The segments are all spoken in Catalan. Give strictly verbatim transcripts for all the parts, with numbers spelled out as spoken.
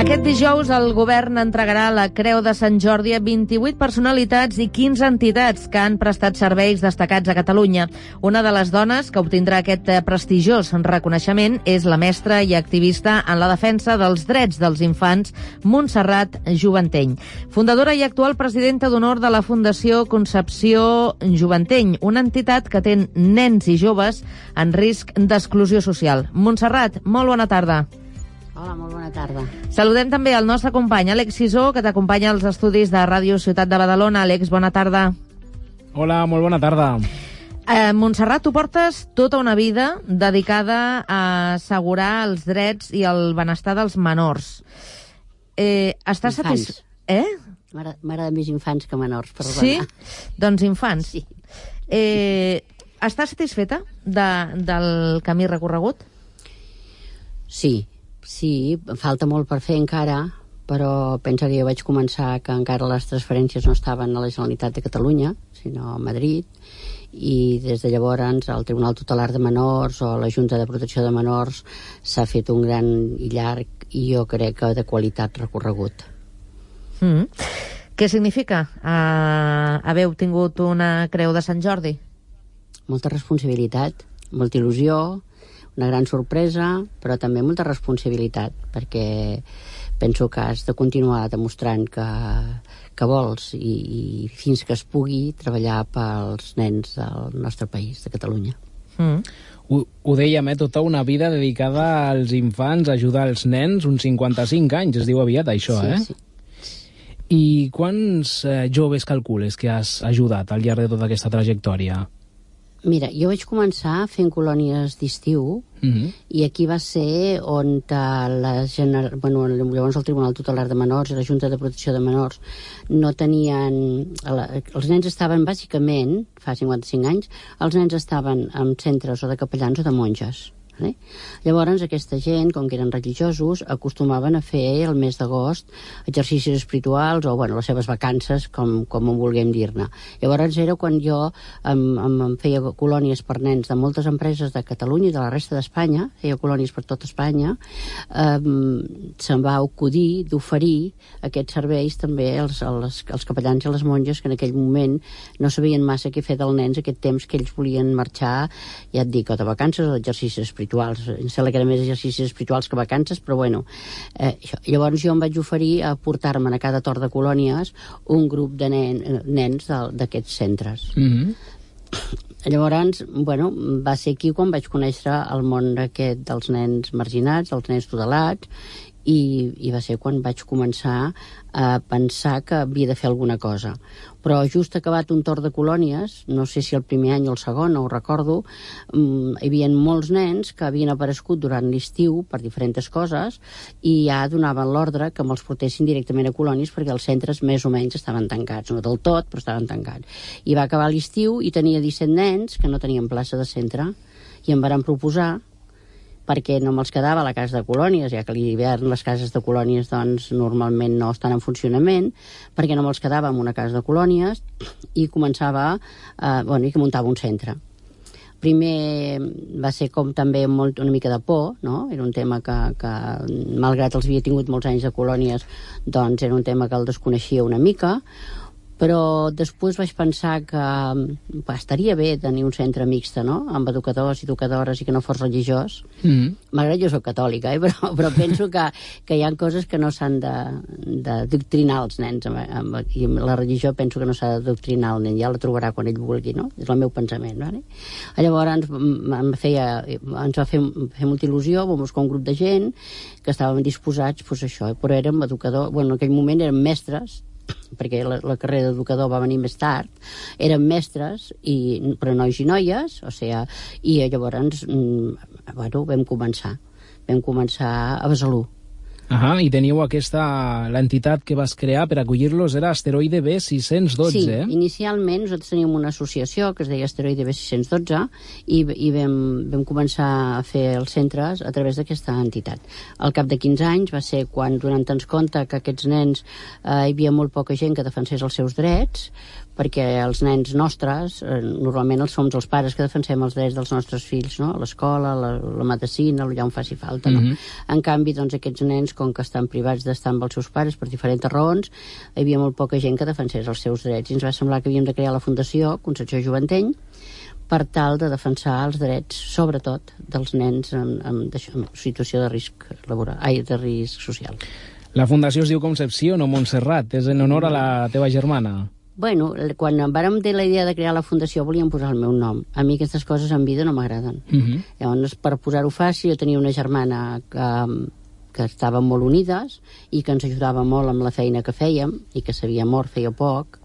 Aquest dijous el govern entregarà la Creu de Sant Jordi a vint-i-vuit personalitats i quinze entitats que han prestat serveis destacats a Catalunya. Una de les dones que obtindrà aquest prestigiós reconeixement és la mestra i activista en la defensa dels drets dels infants, Montserrat Juvanteny, fundadora i actual presidenta d'honor de la Fundació Concepció Juvanteny, una entitat que atén nens i joves en risc d'exclusió social. Montserrat, molt bona tarda. Hola, molt bona tarda. Saludem també el nostre company, Àlex Sisó, que t'acompanya als estudis de Ràdio Ciutat de Badalona. Àlex, bona tarda. Hola, molt bona tarda. Eh, Montserrat, tu portes tota una vida dedicada a assegurar els drets i el benestar dels menors. Eh, estàs satisfet? Eh? M'agraden més infants que menors, perdona. Sí? Doncs infants. Sí. Eh, estàs satisfeta de, del camí recorregut? Sí. Sí, falta molt per fer encara, però pensa que jo vaig començar que encara les transferències no estaven a la Generalitat de Catalunya, sinó a Madrid, i des de llavors el Tribunal Tutelar de Menors o la Junta de Protecció de Menors s'ha fet un gran i llarg i jo crec que de qualitat recorregut. Mm. Què significa uh, haver obtingut una Creu de Sant Jordi? Molta responsabilitat, molta il·lusió, una gran sorpresa, però també molta responsabilitat, perquè penso que has de continuar demostrant que, que vols i, i fins que es pugui treballar pels nens del nostre país, de Catalunya. Mm. Ho, ho dèiem, eh? Tota una vida dedicada als infants, a ajudar els nens, uns cinquanta-cinc anys, es diu aviat això, sí, eh? Sí. I quants eh, joves calcules que has ajudat al llarg de tota aquesta trajectòria? Mira, jo vaig començar fent colònies d'estiu, mm-hmm. i aquí va ser on la gener... bueno, llavors el Tribunal Tutelar de Menors i la Junta de Protecció de Menors no tenien... Els nens estaven bàsicament, fa cinquanta-cinc anys, els nens estaven en centres o de capellans o de monges. Eh? Llavors aquesta gent, com que eren religiosos, acostumaven a fer el mes d'agost exercicis espirituals o bueno, les seves vacances, com, com ho vulguem dir-ne. Llavors era quan jo em, em, em feia colònies per nens de moltes empreses de Catalunya i de la resta d'Espanya, feia colònies per tot Espanya, eh, se'm va acudir d'oferir aquests serveis també als, als, als capellans i les monges que en aquell moment no sabien massa què fer dels nens aquest temps que ells volien marxar, ja et dic, o de vacances o d'exercicis espirituals. Em sembla que eren més exercicis espirituals que vacances, però bueno. Eh, llavors jo em vaig oferir a portar-me'n a cada torn de colònies un grup de nen, nens d'aquests centres. Mm-hmm. Llavors, bueno, va ser aquí quan vaig conèixer el món aquest dels nens marginats, dels nens tutelats, i, i va ser quan vaig començar a pensar que havia de fer alguna cosa. Però just acabat un torn de colònies, no sé si el primer any o el segon, no ho recordo, hi havia molts nens que havien aparegut durant l'estiu per diferents coses i ja donaven l'ordre que me'ls portessin directament a colònies perquè els centres més o menys estaven tancats, no del tot, però estaven tancats. I va acabar l'estiu i tenia disset nens que no tenien plaça de centre i em varen proposar perquè no me'ls quedava a la casa de colònies, ja que a l'hivern les cases de colònies doncs, normalment no estan en funcionament, perquè no me'ls quedava en una casa de colònies i començava, eh, bueno, i que muntava un centre. Primer va ser com també molt, una mica de por, no? Era un tema que, que, malgrat els havia tingut molts anys de colònies, doncs era un tema que el desconeixia una mica, però després vaig pensar que bah, estaria bé tenir un centre mixte, no?, amb educadors i educadores i que no fos religiós. Mm. Malgrat jo soc catòlica, eh? però, però penso que, que hi ha coses que no s'han de, de doctrinar els nens, amb, amb, i la religió penso que no s'ha de doctrinar el nen, ja la trobarà quan ell vulgui, no? És el meu pensament, no? Llavors ens, em feia, ens va fer, fer molta il·lusió, vam buscar un grup de gent que estàvem disposats, doncs això, però érem educadors, bueno, en aquell moment érem mestres, perquè la, la carrera d'educador va venir més tard, eren mestres, i, però nois i noies, o sigui, i llavors bueno, vam començar. Vam començar a Besalú. Ah, i teniu aquesta... l'entitat que vas crear per acollir-los era Asteroide B sis-cents dotze, sí, eh? Sí, inicialment nosaltres teníem una associació que es deia Asteroide B sis-cents dotze i, i vam, vam començar a fer els centres a través d'aquesta entitat. Al cap de quinze anys va ser quan, donant-nos compte que aquests nens eh, hi havia molt poca gent que defensés els seus drets, perquè els nens nostres, eh, normalment els som els pares que defensem els drets dels nostres fills, no? A l'escola, la, la medicina, allà on faci falta, no? Mm-hmm. En canvi, doncs, aquests nens, com que estan privats d'estar amb els seus pares per diferents raons, hi havia molt poca gent que defensés els seus drets, i ens va semblar que havíem de crear la Fundació Concepció Joventeny per tal de defensar els drets, sobretot, dels nens en, en, en situació de risc laboral, ai, de risc social. La fundació es diu Concepció, no Montserrat. És en honor a la teva germana. Bueno, quan em vàrem dir la idea de crear la fundació volíem posar el meu nom. A mi aquestes coses en vida no m'agraden. Uh-huh. Llavors, per posar-ho fàcil, jo tenia una germana que, que estàvem molt unides i que ens ajudava molt amb la feina que fèiem i que s'havia mort feia poc,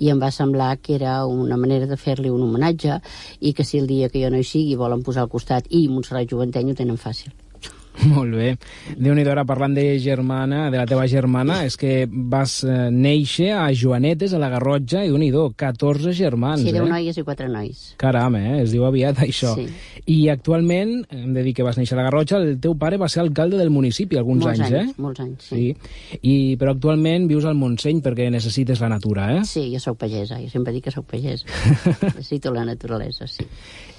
i em va semblar que era una manera de fer-li un homenatge i que si el dia que jo no hi sigui volen posar al costat i Montserrat Joventeny ho tenen fàcil. Molt bé. Déu-n'hi-do, ara parlant de germana, de la teva germana, és que vas eh, néixer a Joanetes, a la Garrotxa, i Déu-n'hi-do, catorze germans. Sí, deu eh? noies i quatre nois. Caram, eh? Es diu aviat això. Sí. I actualment, hem de dir que vas néixer a la Garrotxa, el teu pare va ser alcalde del municipi alguns molts anys, anys, eh? Molts anys, sí. sí. I, però actualment vius al Montseny perquè necessites la natura, eh? Sí, jo sóc pagesa, jo sempre dic que sóc pagesa. Necessito la naturalesa, sí.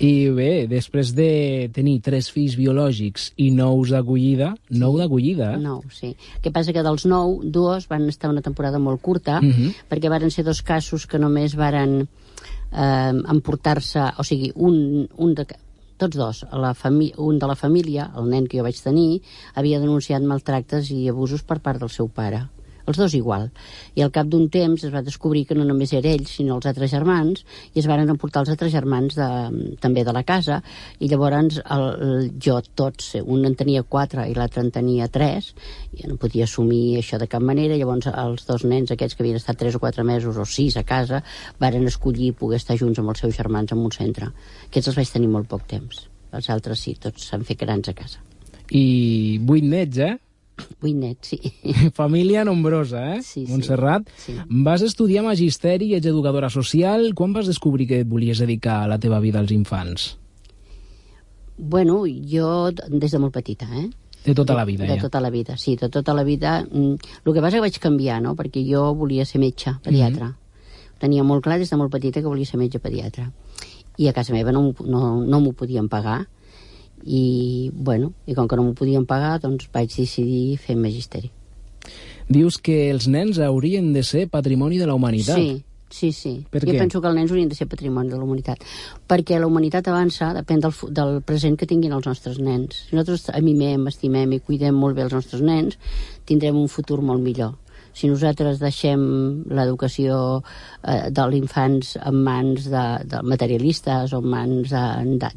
I bé, després de tenir tres fills biològics i nous d'acollida, nou d'acollida, eh? Nou, sí. El que passa que dels nou, dos van estar una temporada molt curta, uh-huh. perquè varen ser dos casos que només varen eh, emportar-se, o sigui, un, un de, tots dos, a la un de la família, el nen que jo vaig tenir, havia denunciat maltractes i abusos per part del seu pare. Els dos igual. I al cap d'un temps es va descobrir que no només era ell, sinó els altres germans, i es varen emportar els altres germans de, també de la casa, i llavors el, el, jo tots, un en tenia quatre i l'altre en tenia tres, i no podia assumir això de cap manera, llavors els dos nens aquests que havien estat tres o quatre mesos o sis a casa, varen escollir poder estar junts amb els seus germans en un centre. Aquests els vaig tenir molt poc temps. Els altres sí, tots s'han fet grans a casa. I vuit nets, eh? Vuit nets, sí. Família nombrosa, eh? Sí, sí. Montserrat, sí. Vas estudiar magisteri i ets educadora social. Quan vas descobrir que et volies dedicar a la teva vida als infants? Bueno, jo des de molt petita, eh? De tota la vida, de, ja. De tota la vida, sí, de tota la vida. El que passa que vaig canviar, no?, perquè jo volia ser metge, pediatre. Mm-hmm. Tenia molt clar des de molt petita que volia ser metge pediatre. I a casa meva no, no, no m'ho podien pagar. I, bueno, i com que no m'ho podien pagar, doncs vaig decidir fer magisteri. Dius que els nens haurien de ser patrimoni de la humanitat. Sí, sí, sí. Per jo què? penso que els nens haurien de ser patrimoni de la humanitat. Perquè la humanitat avança, depèn del, del present que tinguin els nostres nens. Si nosaltres amimem, estimem i cuidem molt bé els nostres nens, tindrem un futur molt millor. Si nosaltres deixem l'educació eh, dels infants en mans de, de materialistes o en mans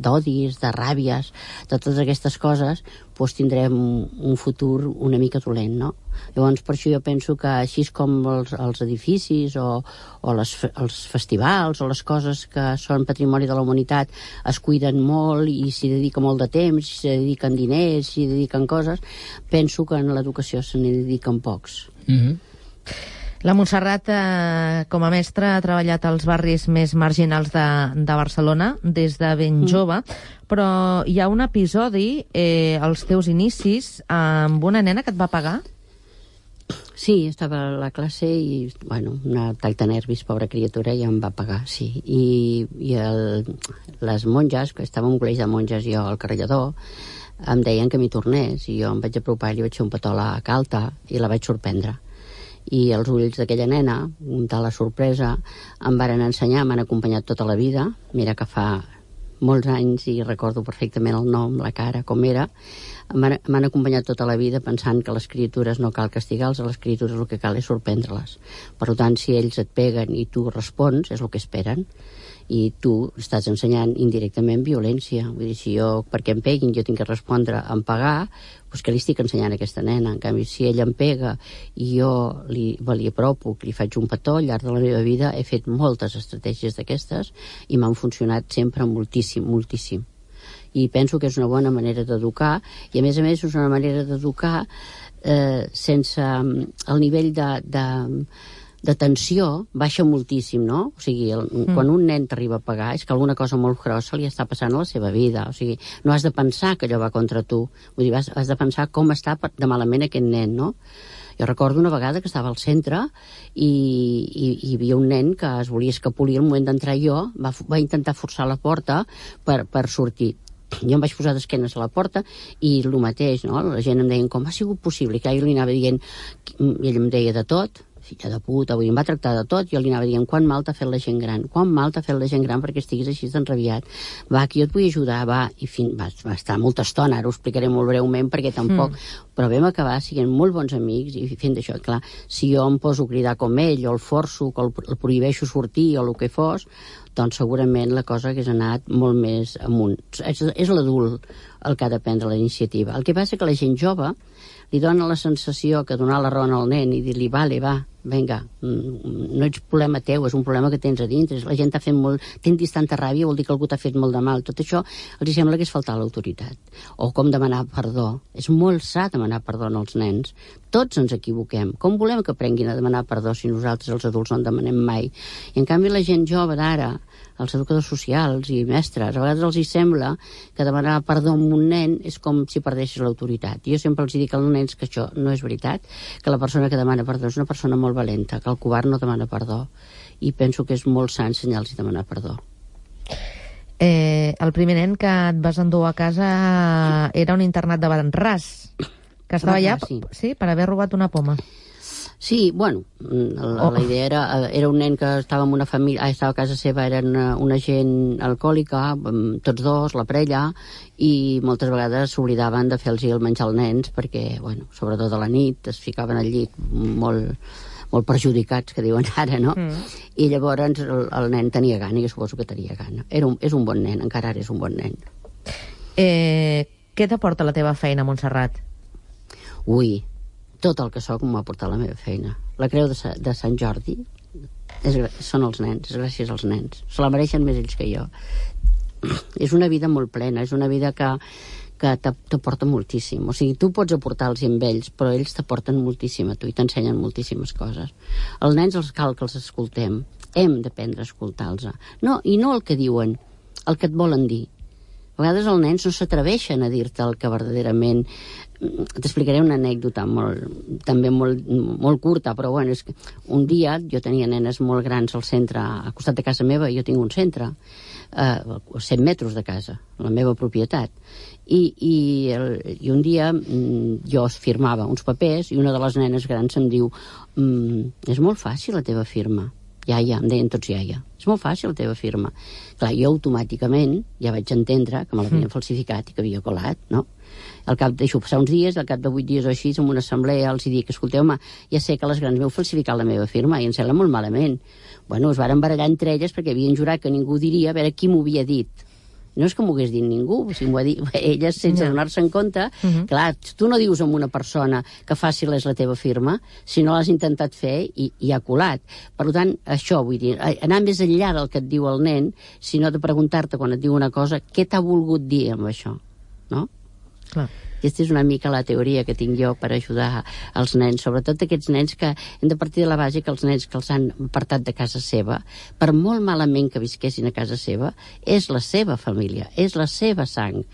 d'odis, de, de ràbies, de totes aquestes coses, doncs tindrem un futur una mica dolent, no? Llavors, per això jo penso que així com els, els edificis o, o les, els festivals o les coses que són patrimoni de la humanitat es cuiden molt i s'hi dedica molt de temps, s'hi dediquen diners, s'hi dediquen coses, penso que en l'educació se n'hi dediquen pocs. Mm-hmm. La Montserrat, eh, com a mestra, ha treballat als barris més marginals de, de Barcelona des de ben mm. jove, però hi ha un episodi, eh, als teus inicis, amb una nena que et va pagar? Sí, estava a la classe i, bueno, una tall de nervis, pobra criatura, i em va pagar, sí. I, i el, les monges, que estava en un col·legi de monges jo al Carrellador, em deien que m'hi tornés, i jo em vaig apropar i li vaig fer un petó a la calta i la vaig sorprendre. I els ulls d'aquella nena, amb tal la sorpresa, em varen ensenyar, m'han acompanyat tota la vida. Mira que fa molts anys i recordo perfectament el nom, la cara, com era. M'han acompanyat tota la vida pensant que les criatures no cal castigar-les, a les criatures el que cal és sorprendre-les. Per tant, si ells et peguen i tu respons, és el que esperen. I tu estàs ensenyant indirectament violència. Vull dir, si jo, perquè em peguin, jo tinc que respondre en pagar, doncs què li estic ensenyant a aquesta nena? En canvi, si ella em pega i jo li, li apropo, li faig un petó, al llarg de la meva vida he fet moltes estratègies d'aquestes i m'han funcionat sempre moltíssim, moltíssim. I penso que és una bona manera d'educar, i a més a més és una manera d'educar eh, sense el nivell de... de de tensió baixa moltíssim, no? O sigui, el, mm. quan un nen t'arriba a pagar és que alguna cosa molt grossa li està passant a la seva vida. O sigui, no has de pensar que allò va contra tu. Vull dir, has, has de pensar com està de malament aquest nen, no? Jo recordo una vegada que estava al centre i, i, i hi havia un nen que es volia escapolir al moment d'entrar jo, va, va intentar forçar la porta per, per sortir. Jo em vaig posar d'esquenes a la porta i el mateix, no? La gent em deia com ha sigut possible, que jo li anava dient, i ell em deia de tot, filla de puta, vull dir, em va tractar de tot, jo li anava dient quan mal t'ha fet la gent gran, quan mal t'ha fet la gent gran perquè estiguis així d'enrabiat, va, que jo et vull ajudar, va, i fin, va, va estar molta estona, ara ho explicaré molt breument perquè tampoc, mm. però vam acabar siguent molt bons amics i fent això, clar, si jo em poso a cridar com ell, o el forço, o el, el prohibeixo sortir, o el que fos, doncs segurament la cosa hagués anat molt més amunt. És, és l'adult el que ha de prendre la iniciativa. El que passa que la gent jove li dona la sensació que donar la raó al nen i dir-li, vale, va, vinga, no ets problema teu, és un problema que tens a dintre, la gent t'ha fet molt, tinguis tanta ràbia, vol dir que algú t'ha fet molt de mal. Tot això els sembla que és faltar l'autoritat. O com demanar perdó. És molt sa demanar perdó als nens. Tots ens equivoquem. Com volem que aprenguin a demanar perdó si nosaltres, els adults, no en demanem mai? I en canvi la gent jove d'ara, els educadors socials i mestres, a vegades els hi sembla que demanar perdó a un nen és com si perdessis l'autoritat. Jo sempre els dic als nens que això no és veritat, que la persona que demana perdó és una persona molt valenta, que el covard no demana perdó. I penso que és molt sa ensenyar-los a demanar perdó. Eh, el primer nen que et vas endur a casa era un internat de Baranràs, que estava allà, sí. sí, per haver robat una poma. Sí, bueno, la, oh. la idea era, era un nen que estava en una família, estava a casa seva, era una, una gent alcohòlica, tots dos, la parella, i moltes vegades s'oblidaven de fer-los el menjar als nens, perquè, bueno, sobretot a la nit, es ficaven al llit molt, molt perjudicats, que diuen ara, no? Mm. I llavors el, el nen tenia gana, i jo suposo que tenia gana. Era un, és un bon nen, encara ara és un bon nen. Eh, què t'aporta la teva feina, Montserrat? Ui, tot el que soc m'ha portat la meva feina. La creu de, de Sant Jordi és, són els nens, és gràcies als nens. Se la mereixen més ells que jo. És una vida molt plena, és una vida que, que t'aporta moltíssim. O sigui, tu pots aportar-los amb ells, però ells t'aporten moltíssim a tu i t'ensenyen moltíssimes coses. Els nens els cal que els escoltem. Hem d'aprendre a escoltar-los. No, i no el que diuen, el que et volen dir. A vegades els nens no s'atreveixen a dir-te el que verdaderament... T'explicaré una anècdota molt, també molt, molt curta, però bueno, és que un dia jo tenia nenes molt grans al centre, al costat de casa meva, jo tinc un centre, eh, a cent metres de casa, la meva propietat. I, i, el, i un dia jo firmava uns papers i una de les nenes grans em diu mm, és molt fàcil la teva firma. Iaia, em deien tots iaia. És molt fàcil la teva firma. Clar, jo automàticament ja vaig entendre que me l'havien falsificat i que havia colat, no? Al cap deixo passar uns dies, al cap de vuit dies o així, en una assemblea els dic, escolteu, home, ja sé que les grans m'heu falsificat la meva firma i em sembla molt malament. Bueno, es varen barallar entre elles perquè havien jurat que ningú diria a veure qui m'ho havia dit. No és que m'ho hagués dit ningú, o sigui, m'ho ha dit elles sense no. donar-se en compte. Uh -huh. Clar, tu no dius a una persona que fàcil és la teva firma si no l'has intentat fer i, i ha colat. Per tant, això vull dir, anar més enllà del que et diu el nen, sinó de preguntar-te quan et diu una cosa, què t'ha volgut dir amb això, no? Clar. Aquesta és una mica la teoria que tinc jo per ajudar els nens, sobretot aquests nens que hem de partir de la base que els nens que els han apartat de casa seva, per molt malament que visquessin a casa seva, és la seva família, és la seva sang,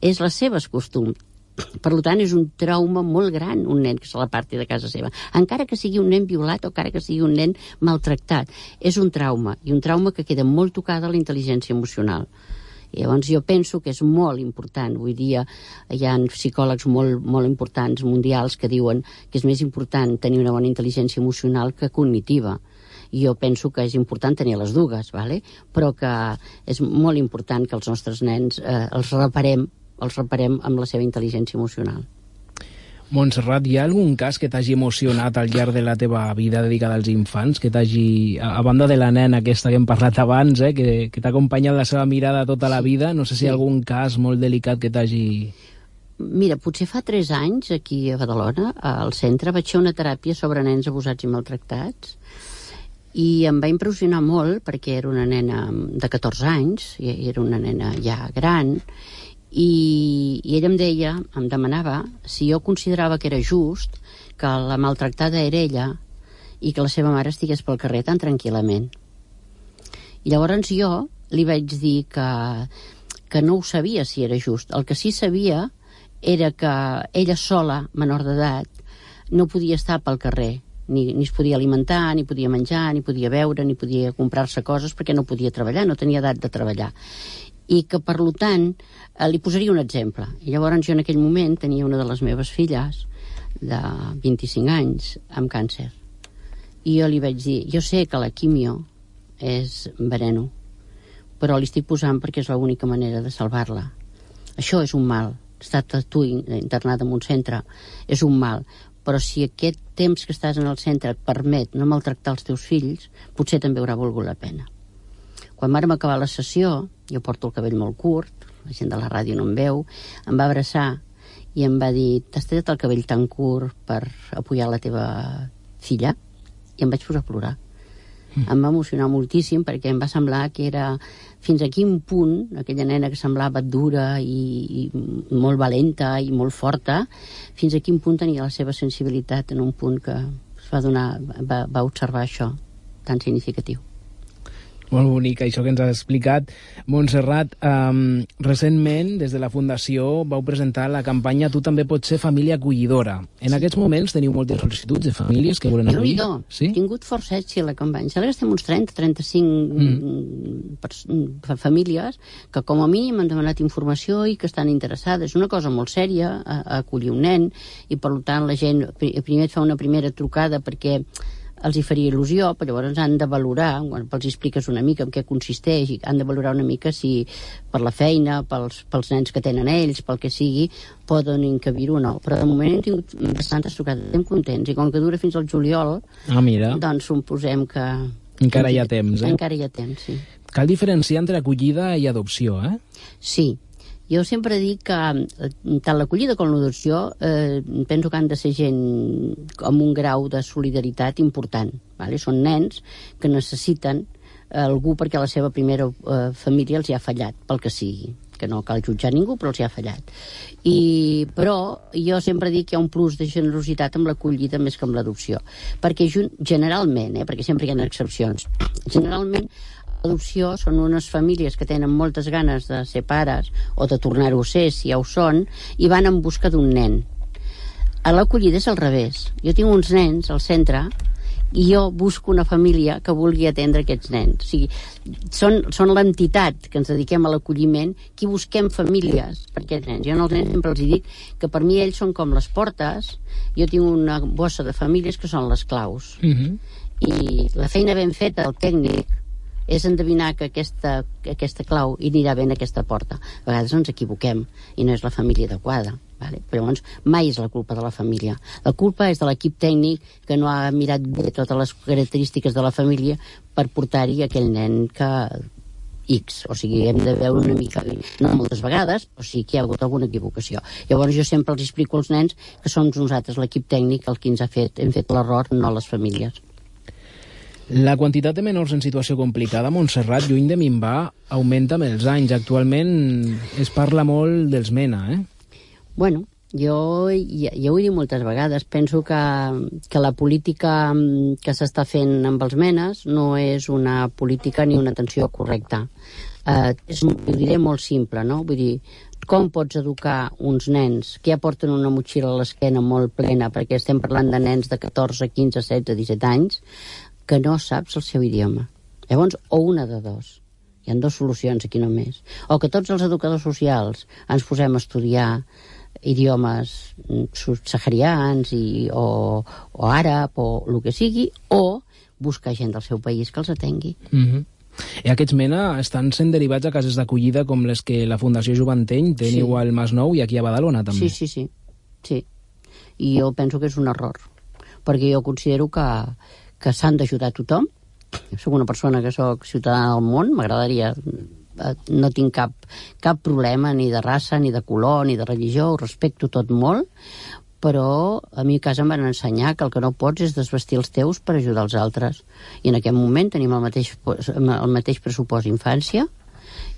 és les seves costums. Per tant, és un trauma molt gran un nen que se l'aparti de casa seva. Encara que sigui un nen violat o encara que sigui un nen maltractat. És un trauma, i un trauma que queda molt tocada a la intel·ligència emocional. I llavors jo penso que és molt important. Avui dia hi ha psicòlegs molt, molt importants mundials que diuen que és més important tenir una bona intel·ligència emocional que cognitiva. I jo penso que és important tenir les dues, ¿vale? Però que és molt important que els nostres nens eh, els reparem, els reparem amb la seva intel·ligència emocional. Montserrat, hi ha algun cas que t'hagi emocionat al llarg de la teva vida dedicada als infants, que t'hagi, a banda de la nena aquesta que hem parlat abans, eh, que, que t'ha acompanyat la seva mirada tota la vida, no sé si hi ha algun cas molt delicat que t'hagi... Mira, potser fa tres anys, aquí a Badalona, al centre, vaig fer una teràpia sobre nens abusats i maltractats, i em va impressionar molt perquè era una nena de catorze anys, i era una nena ja gran, I, i ella em deia, em demanava si jo considerava que era just que la maltractada era ella i que la seva mare estigués pel carrer tan tranquil·lament. I llavors jo li vaig dir que, que no ho sabia si era just. El que sí sabia era que ella sola, menor d'edat, no podia estar pel carrer, ni, ni es podia alimentar, ni podia menjar, ni podia beure, ni podia comprar-se coses perquè no podia treballar, no tenia edat de treballar. I que, per tant, eh, li posaria un exemple. I llavors jo en aquell moment tenia una de les meves filles de vint-i-cinc anys amb càncer. I jo li vaig dir, jo sé que la quimio és veneno, però li estic posant perquè és l'única manera de salvar-la. Això és un mal. Estar tu internada en un centre és un mal, però si aquest temps que estàs en el centre et permet no maltractar els teus fills, potser també haurà volgut la pena. Quan vàrem acabar la sessió, jo porto el cabell molt curt, la gent de la ràdio no em veu, em va abraçar i em va dir, t'has tret el cabell tan curt per apoyar la teva filla? I em vaig posar a plorar. Mm. Em va emocionar moltíssim perquè em va semblar que era fins a quin punt aquella nena que semblava dura i, i molt valenta i molt forta, fins a quin punt tenia la seva sensibilitat en un punt que es va donar, va, va observar això tan significatiu. Molt bonic, això que ens has explicat. Montserrat, um, recentment, des de la Fundació, vau presentar la campanya Tu també pots ser família acollidora. En sí. Aquests moments teniu moltes sol·licituds de famílies que volen acollir. Jo sí? He tingut força èxit la campanya. Sembla que estem uns trenta a trenta-cinc mm. per, famílies que com a mínim han demanat informació i que estan interessades. És una cosa molt sèria, a, a acollir un nen, i per tant la gent primer et fa una primera trucada perquè els hi faria il·lusió, però llavors han de valorar, quan els expliques una mica en què consisteix, i han de valorar una mica si per la feina, pels, pels nens que tenen ells, pel que sigui, poden encabir-ho o no. Però de moment hem tingut bastantes trucades, estem contents, i com que dura fins al juliol, ah, mira. Doncs suposem que... Encara hi ha temps, eh? Encara hi ha temps, sí. Cal diferenciar entre acollida i adopció, eh? Sí. Jo sempre dic que tant l'acollida com l'adopció eh, penso que han de ser gent amb un grau de solidaritat important. Vale? Són nens que necessiten algú perquè la seva primera eh, família els hi ha fallat, pel que sigui. Que no cal jutjar ningú, però els hi ha fallat. I, però jo sempre dic que hi ha un plus de generositat amb l'acollida més que amb l'adopció. Perquè generalment, eh, perquè sempre hi ha excepcions, generalment l'adopció són unes famílies que tenen moltes ganes de ser pares o de tornar-ho a ser, si ja ho són, i van en busca d'un nen. A l'acollida és al revés. Jo tinc uns nens al centre i jo busco una família que vulgui atendre aquests nens. O sigui, són, són l'entitat que ens dediquem a l'acolliment qui busquem famílies per aquests nens. Jo als nens sempre els dic que per mi ells són com les portes. Jo tinc una bossa de famílies que són les claus. Mm-hmm. I la feina ben feta, el tècnic, és endevinar que aquesta, que aquesta clau anirà bé en aquesta porta. A vegades ens equivoquem i no és la família adequada. Vale? Però llavors mai és la culpa de la família. La culpa és de l'equip tècnic que no ha mirat bé totes les característiques de la família per portar-hi aquell nen que X. O sigui, hem de veure una mica, no moltes vegades, o sigui que hi ha hagut alguna equivocació. Llavors jo sempre els explico als nens que som nosaltres, l'equip tècnic, el que ens ha fet, hem fet l'error, no les famílies. La quantitat de menors en situació complicada a Montserrat, lluny de minvar, augmenta amb els anys. Actualment es parla molt dels MENA, eh? Bueno, jo ja, ja ho he dit moltes vegades. Penso que, que la política que s'està fent amb els menes no és una política ni una atenció correcta. Eh, és, ho diré molt simple, no? Vull dir, com pots educar uns nens que ja porten una motxilla a l'esquena molt plena, perquè estem parlant de nens de catorze, quinze, setze, disset anys, que no saps el seu idioma. Llavors, o una de dos. Hi ha dues solucions aquí només. O que tots els educadors socials ens posem a estudiar idiomes subsaharians i, o, o àrab o el que sigui, o buscar gent del seu país que els atengui. Mm-hmm. I aquests MENA estan sent derivats a cases d'acollida com les que la Fundació Joventeny teniu sí. al Masnou i aquí a Badalona també. Sí, sí, sí. sí. I jo penso que és un error, perquè jo considero que que s'han d'ajudar a tothom. Jo soc una persona que soc ciutadana del món, m'agradaria, no tinc cap, cap problema ni de raça, ni de color, ni de religió, ho respecto tot molt, però a mi a casa em van ensenyar que el que no pots és desvestir els teus per ajudar els altres. I en aquest moment tenim el mateix, el mateix pressupost infància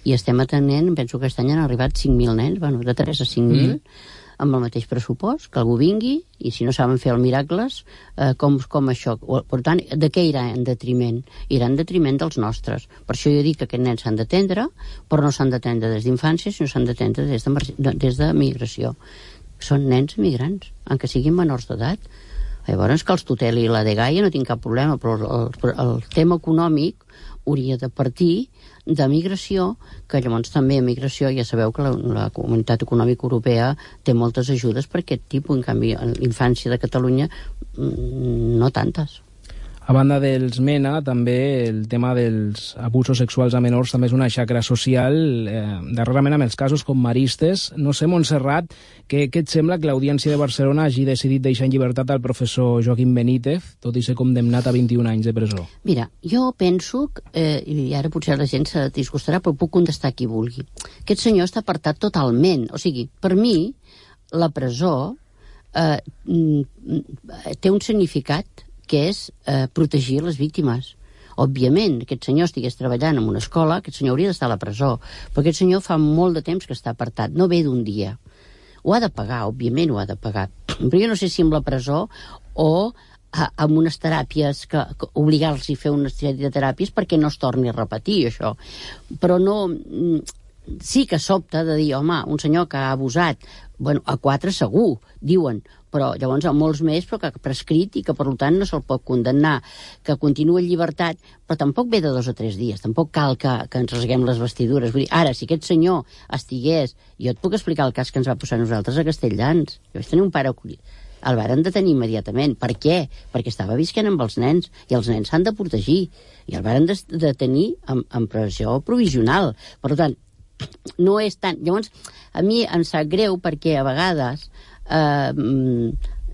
i estem atenent, penso que aquest any han arribat cinc mil nens, bueno, de tres a cinc mil, mm. amb el mateix pressupost, que algú vingui, i si no saben fer els miracles, eh, com, com això. Per tant, de què irà en detriment? Irà en detriment dels nostres. Per això jo dic que aquests nens s'han d'atendre, però no s'han d'atendre des d'infància, sinó s'han d'atendre des de, des de migració. Són nens migrants, encara siguin menors d'edat. Llavors, que els tuteli la dgaia no tinc cap problema, però el, el tema econòmic hauria de partir de migració, que llavors també a migració ja sabeu que la, la Comunitat Econòmica Europea té moltes ajudes per aquest tipus, en canvi a l'infància de Catalunya no tantes. A banda dels MENA, també el tema dels abusos sexuals a menors també és una xacra social, eh, darrerament amb els casos com Maristes. No sé, Montserrat, què, què et sembla que l'Audiència de Barcelona hagi decidit deixar en llibertat al professor Joaquim Benítez, tot i ser condemnat a vint-i-un anys de presó? Mira, jo penso, eh, i ara potser la gent se disgustarà, però puc contestar qui vulgui. Aquest senyor està apartat totalment. O sigui, per mi, la presó eh, té un significat que és eh, protegir les víctimes. Òbviament, aquest senyor estigués treballant en una escola, aquest senyor hauria d'estar a la presó, però aquest senyor fa molt de temps que està apartat, no ve d'un dia. Ho ha de pagar, òbviament ho ha de pagar, però jo no sé si amb la presó o a, amb unes teràpies, que, que obligar-los a fer una sèrie de teràpies perquè no es torni a repetir això. Però no... Sí que sobta de dir, home, un senyor que ha abusat, bueno, a quatre segur, diuen, però llavors a molts més, però que ha prescrit i que per tant no se'l pot condemnar, que continua en llibertat, però tampoc ve de dos o tres dies, tampoc cal que, que ens rasguem les vestidures. Vull dir, ara, si aquest senyor estigués... Jo et puc explicar el cas que ens va posar nosaltres a Castelldans. Jo vaig tenir un pare acollit. El varen detenir immediatament. Per què? Perquè estava visquent amb els nens, i els nens s'han de protegir. I el varen detenir en, en presó provisional. Per tant, no és tant... Llavors, a mi em sap greu perquè a vegades eh,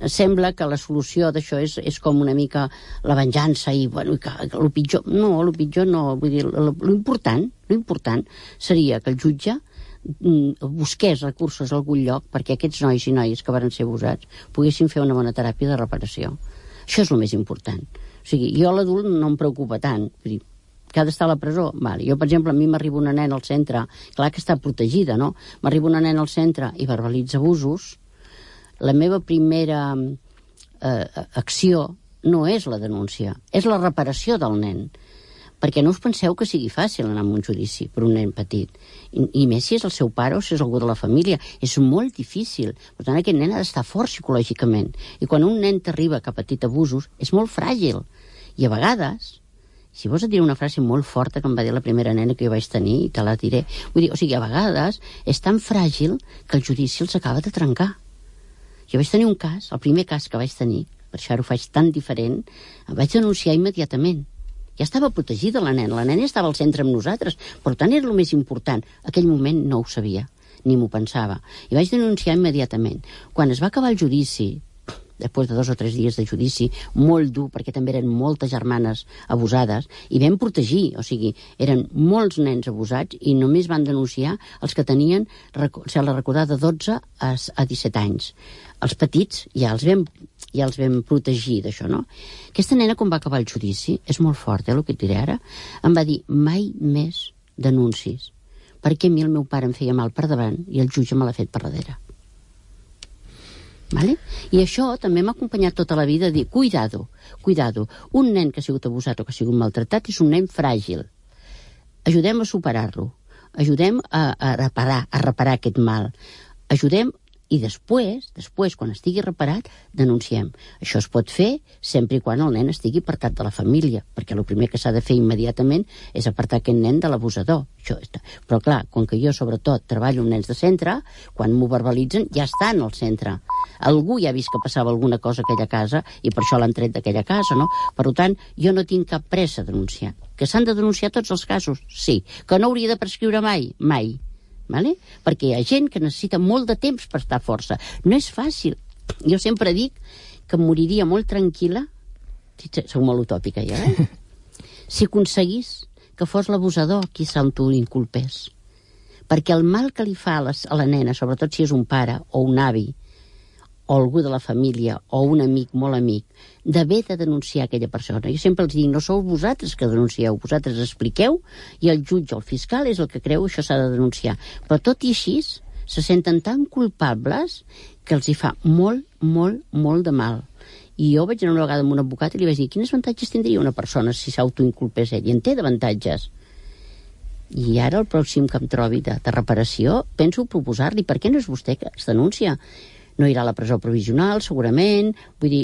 sembla que la solució d'això és, és com una mica la venjança i, bueno, que, que el pitjor... No, el pitjor no. Vull dir, l'important, l'important seria que el jutge busqués recursos a algun lloc perquè aquests nois i noies que varen ser abusats poguessin fer una bona teràpia de reparació. Això és el més important. O sigui, jo l'adult no em preocupa tant. Vull dir, que ha d'estar a la presó? Vale. Jo, per exemple, a mi m'arriba una nena al centre, clar que està protegida, no? M'arriba una nena al centre i verbalitza abusos. La meva primera eh, acció no és la denúncia, és la reparació del nen. Perquè no us penseu que sigui fàcil anar a un judici per un nen petit. I, i més si és el seu pare o si és algú de la família. És molt difícil. Per tant, aquest nen ha d'estar fort psicològicament. I quan un nen t'arriba que ha patit abusos, és molt fràgil. I a vegades... Si vols et diré una frase molt forta que em va dir la primera nena que jo vaig tenir, i te la diré. Vull dir, o sigui, a vegades és tan fràgil que el judici els acaba de trencar. Jo vaig tenir un cas, el primer cas que vaig tenir, per això ara ho faig tan diferent, em vaig denunciar immediatament. Ja estava protegida la nena, la nena estava al centre amb nosaltres, per tant era el més important. Aquell moment no ho sabia, ni m'ho pensava. I vaig denunciar immediatament. Quan es va acabar el judici, després de dos o tres dies de judici, molt dur, perquè també eren moltes germanes abusades, i vam protegir, o sigui, eren molts nens abusats i només van denunciar els que tenien, se la recordada, de dotze a disset anys. Els petits ja els vam, ja els vam protegir d'això, no? Aquesta nena, quan va acabar el judici, és molt fort, eh, el que et diré ara, em va dir, mai més denuncis, perquè a mi el meu pare em feia mal per davant i el jutge me l'ha fet per darrere. Vale? I això també m'ha acompanyat tota la vida a dir, cuidado, cuidado, un nen que ha sigut abusat o que ha sigut maltratat és un nen fràgil. Ajudem a superar-lo, ajudem a, a reparar, a reparar aquest mal, ajudem i després, després, quan estigui reparat, denunciem. Això es pot fer sempre i quan el nen estigui apartat de la família, perquè el primer que s'ha de fer immediatament és apartar aquest nen de l'abusador. Això està. Però clar, com que jo sobretot treballo amb nens de centre, quan m'ho verbalitzen ja estan al centre. Algú ja ha vist que passava alguna cosa a aquella casa i per això l'han tret d'aquella casa, no? Per tant, jo no tinc cap pressa a denunciar. Que s'han de denunciar tots els casos? Sí. Que no hauria de prescriure mai? Mai. Vale? Perquè hi ha gent que necessita molt de temps per estar força. No és fàcil. Jo sempre dic que moriria molt tranquil·la, soc molt utòpica ja, eh? si aconseguís que fos l'abusador qui s'autoinculpés. Perquè el mal que li fa a, les, a la nena, sobretot si és un pare o un avi, o algú de la família, o un amic, molt amic, d'haver de denunciar aquella persona. Jo sempre els dic, no sou vosaltres que denuncieu, vosaltres expliqueu, i el jutge o el fiscal és el que creu que això s'ha de denunciar. Però tot i així, se senten tan culpables que els hi fa molt, molt, molt de mal. I jo vaig anar una vegada amb un advocat i li vaig dir, quins avantatges tindria una persona si s'autoinculpés ell? I en té d'avantatges. I ara el pròxim que em trobi de, de reparació penso proposar-li, per què no és vostè que es denuncia? no irà a la presó provisional, segurament, vull dir,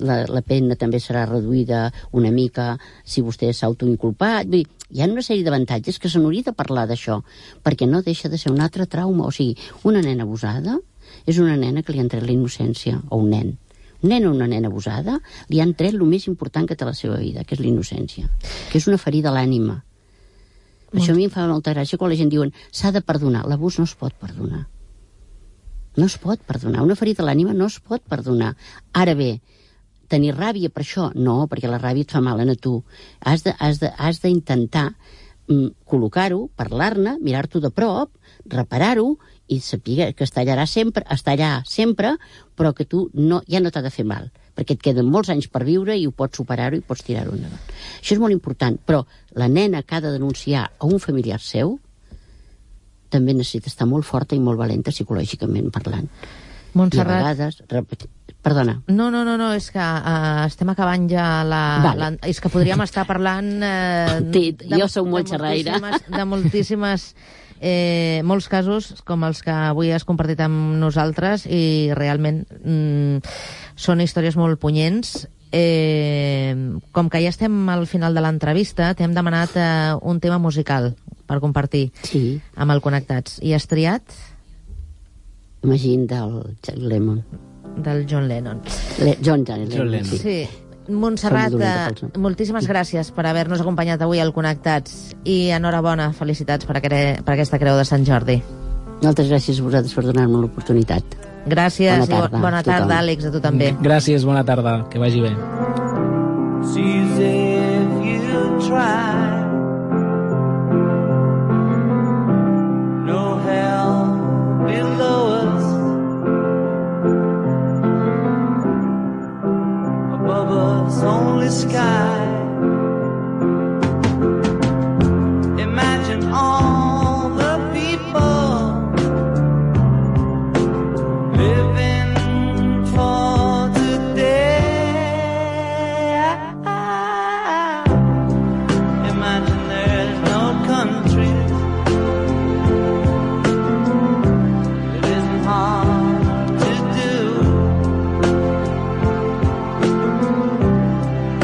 la, la pena també serà reduïda una mica si vostè s'ha autoinculpat, vull dir, hi ha una sèrie d'avantatges que se n'hauria de parlar d'això, perquè no deixa de ser un altre trauma. O sigui, una nena abusada és una nena que li han tret la innocència, o un nen. Un nen o una nena abusada li han tret el més important que té la seva vida, que és la innocència, que és una ferida a l'ànima. Molt. Això a mi em fa molta gràcia quan la gent diuen s'ha de perdonar. L'abús no es pot perdonar. No es pot perdonar. Una ferida a l'ànima no es pot perdonar. Ara bé, tenir ràbia per això? No, perquè la ràbia et fa mal a tu. Has de, has de, has d'intentar mm, col·locar-ho, parlar-ne, mirar-t'ho de prop, reparar-ho i saber que està allà sempre, està allà sempre, però que tu no, ja no t'ha de fer mal, perquè et queden molts anys per viure i ho pots superar-ho i pots tirar-ho endavant. Això és molt important, però la nena que ha de denunciar a un familiar seu també necessita estar molt forta i molt valenta psicològicament parlant. Montserrat... I a vegades... Repet... Perdona. No, no, no, no, és que uh, estem acabant ja la... Vale. la és que podríem estar parlant... Uh, sí, de, jo sóc molt xerraire. De moltíssimes... Eh, molts casos com els que avui has compartit amb nosaltres i realment mm, són històries molt punyents. Eh, com que ja estem al final de l'entrevista, t'hem demanat eh, un tema musical per compartir sí. amb el Connectats. I has triat? Imagine del John Lennon. Del John Lennon. Le John, John Lennon. John Lennon. Sí. sí. Montserrat, eh, moltíssimes gràcies per haver-nos acompanyat avui al Connectats i enhorabona, felicitats per, aquere, per aquesta Creu de Sant Jordi. Moltes gràcies a vosaltres per donar-me l'oportunitat. Gràcies bona tarda, i bona tarda, Àlex, a tu també. Gràcies, bona tarda, que vagi bé. Sees if you try, no hell below us, above us only sky. Imagine all the people living for today. Imagine there's no countries. It isn't hard to do.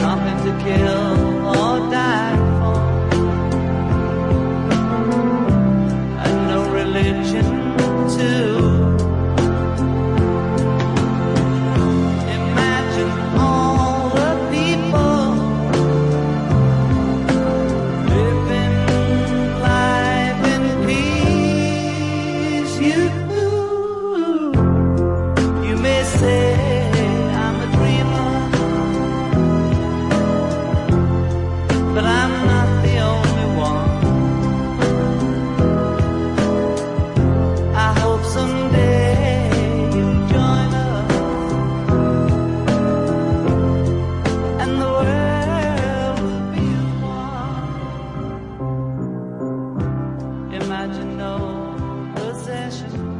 Nothing to kill or die for, and no religion too. Imagine all the people living life in peace. You, you may say I'm a dreamer, but I'm not the only one. I hope someday you'll join us and the world will be as one. Imagine no possession,